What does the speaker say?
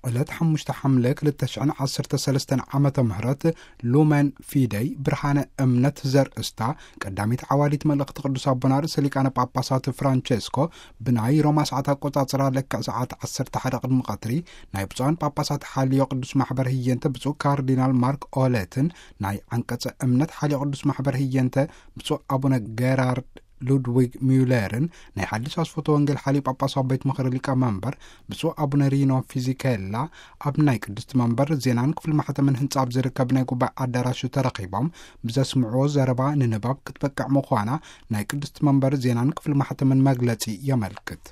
ዕለት ሓሙሽተ ሓምለ ክልተ ሽሕን ዓሰርተ ሰለስተን ዓመተ ምህረት ሉመን ፊደይ ብርሃነ እምነት ዘርእስታ ቀዳሚት ዓዋዲት መልእኽቲ ቅዱስ ኣቦና ርእሰ ሊቃነ ጳጳሳት ፍራንቸስኮ ብናይ ሮማ ሰዓት ኣቆጻጽራ ልክዕ ሰዓት ዓሰርተ ሓደ ቅድሚ ቀትሪ ናይ ብፁዓን ጳጳሳት ሓልዮ ቅዱስ ማሕበር ህየንተ ብፁዕ ካርዲናል ማርክ ኦለትን ናይ ዓንቀጸ እምነት ሓልዮ ቅዱስ ማሕበር ህየንተ ብፁዕ ኣቡነ ጌራርድ ሉድዊግ ሚውለርን ናይ ሓድሽ ኣስፎቶ ወንጌል ሓልዮ ጳጳሳዊ ቤት ምኽሪ ሊቀ መንበር ብፁዕ ኣቡነ ሪኖ ፊዚኬላ ኣብ ናይ ቅድስቲ መንበር ዜናን ክፍሊ ማሕተምን ህንጻ ኣብ ዝርከብ ናይ ጉባኤ ኣዳራሽ ተረኺቦም ብዘስምዕዎ ዘረባ ንንባብ ክትበቅዕ ምዃና ናይ ቅድስቲ መንበር ዜናን ክፍሊ ማሕተምን መግለጺ የመልክት።